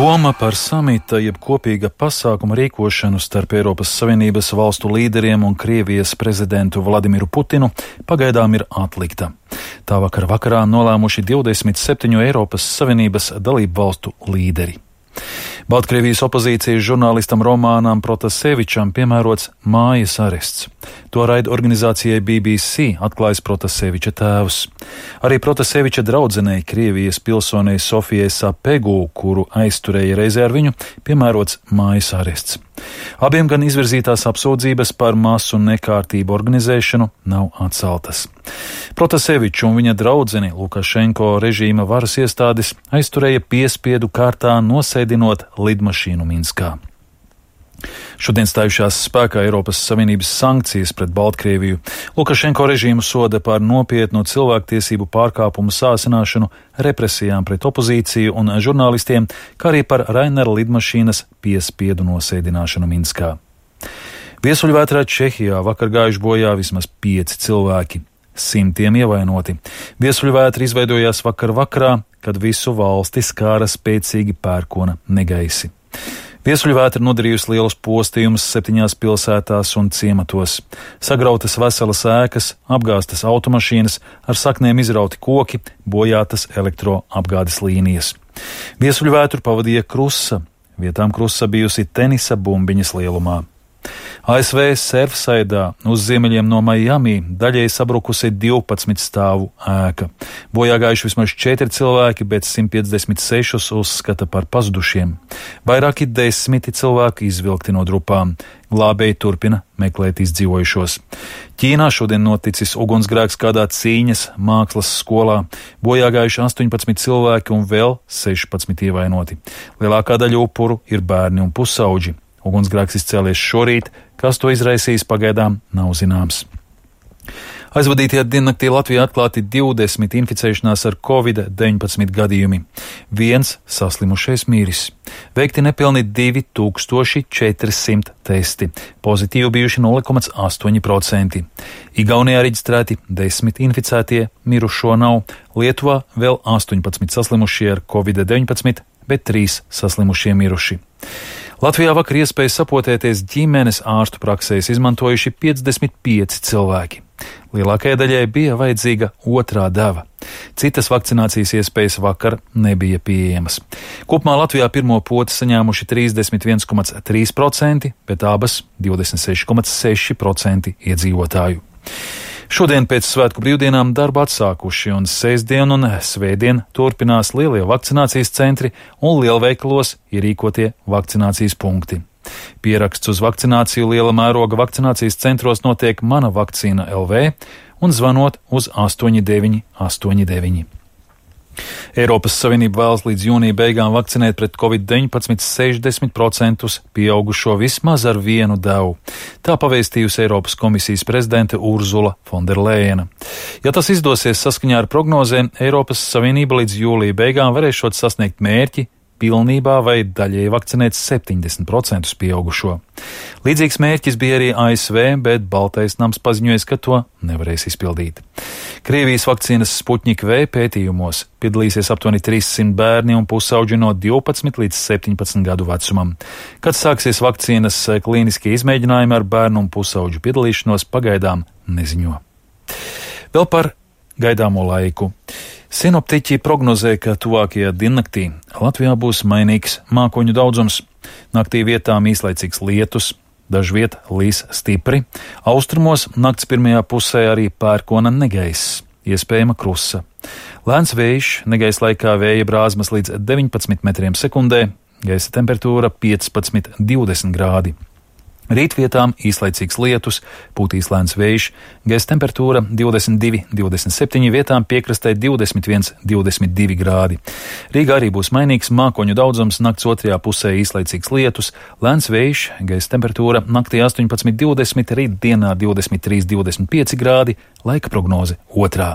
Doma par samita jeb kopīga pasākuma rīkošanu starp Eiropas Savienības valstu līderiem un Krievijas prezidentu Vladimiru Putinu pagaidām ir atlikta. Tā vakarā nolēmuši 27 Eiropas Savienības dalību valstu līderi. Baltkrievijas opozīcijas žurnālistam Romanam Protasevičam piemērots mājas arests. To raida organizācijai BBC atklājis Protaseviča tēvs. Arī Protaseviča draudzenei Krievijas pilsonei Sofijai Sapegu, kuru aizturēja reizē ar viņu, piemērots mājas arests. Abiem gan izvirzītās apsūdzības par masu nekārtību organizēšanu nav atceltas. Protaseviču un viņa draudzeni Lukašenko režīma varas iestādes aizturēja piespiedu kārtā nosēdinot lidmašīnu Minskā. Šodien stājušās spēkā Eiropas Savienības sankcijas pret Baltkrieviju. Lukašenko režīmu soda par nopietnu cilvēktiesību pārkāpumu sāsināšanu, represijām pret opozīciju un žurnālistiem, kā arī par Rainera lidmašīnas piespiedu nosēdināšanu Minskā. Viesuļvētrā Čehijā vakar gājuši bojā vismaz 5 cilvēki. Simtiem ievainoti. Viesuļvētra izveidojās vakarā, kad visu valsti skāra spēcīgi pērkona negaisi. Viesuļvētra nodarījusi lielus postījumus 7 pilsētās un ciematos. Sagrautas veselas ēkas, apgāztas automašīnas, ar saknēm izrauti koki, bojātas elektroapgādes līnijas. Viesuļvētru pavadīja krusa. Vietām krusa bijusi tenisa bumbiņas lielumā. ASV Surfsidā uz ziemeļiem no Miami daļēji sabrukusi 12 stāvu ēka. Bojā gājuši vismaz 4 cilvēki, bet 156 uzskata par pazudušiem. Vairāki 10 cilvēki izvilkti no drupām. Glābēji turpina meklēt izdzīvojušos. Ķīnā šodien noticis ugunsgrēks kādā cīņas mākslas skolā. Bojā gājuši 18 cilvēki un vēl 16 ievainoti. Lielākā daļa upuru ir bērni un pusauģi. Ugunsgrēks izcēlies šorīt, kas to izraisīs pagaidām nav zināms. Aizvadītajā diennaktī Latvijā atklāti 20 inficēšanās ar Covid-19 gadījumi. 1 saslimušais miris. Veikti nepilni 2400 testi. Pozitīvi bijuši 0,8%. Igaunijā reģistrēti 10 inficētie, mirušo nav. Lietuvā vēl 18 saslimušie ar Covid-19, bet 3 saslimušie miruši. Latvijā vakar iespēju sapotēties ģimenes ārstu praksēs izmantojuši 55 cilvēki. Lielākajai daļai bija vajadzīga otrā deva. Citas vakcinācijas iespējas vakar nebija pieejamas. Kopumā Latvijā pirmo poti saņēmuši 31,3%, bet abas 26,6% iedzīvotāju. Šodien pēc svētku brīvdienām darbu atsākuši un sestdien un svētdien turpinās lielie vakcinācijas centri un lielveikalos ierīkotie vakcinācijas punkti. Pieraksts uz vakcināciju liela mēroga vakcinācijas centros notiek Mana vakcīna LV un zvanot uz 8989. Eiropas Savienība vēlas līdz jūnija beigām vakcinēt pret Covid-19 60% pieaugušo vismaz ar 1 devu. Tā pavēstījusi Eiropas komisijas prezidente Urzula Fonderlejena. Ja tas izdosies saskaņā ar prognozēm, Eiropas Savienība līdz jūlija beigām varēšot sasniegt mērķi pilnībā vai daļēji vakcinēt 70% pieaugušo. Līdzīgs mērķis bija arī ASV, bet Baltais nams paziņoja, ka to nevarēs izpildīt. Krievijas vakcīnas Sputnik V pētījumos piedalīsies aptuveni 300 bērni un pusauģi no 12 līdz 17 gadu vecumam. Kad sāksies vakcīnas klīniskie izmēģinājumi ar bērnu un pusauģu piedalīšanos, pagaidām neziņo. Vēl par gaidāmo laiku. Sinoptiķi prognozē, ka tuvākajā diennaktī Latvijā būs mainīgs mākoņu daudzums. Naktī vietām īslaicīgs lietus, dažviet līs stipri. Austrumos nakts pirmajā pusē arī pērkona negaiss, iespējama krusa. Lēns vējš, negaisa laikā vēja brāzmas līdz 19 metriem sekundē, gaisa temperatūra 15–20 grādi. Rītvietām īslaicīgs lietus, pūtīs lēns vējš, gaisa temperatūra 22–27, vietām piekrastē 21–22 grādi. Rīgā arī būs mainīgs mākoņu daudzums, nakts otrajā pusē īslaicīgs lietus, lēns vējš, gaisa temperatūra naktī 18–20, rīt dienā 23–25 grādi, laika prognoze 2.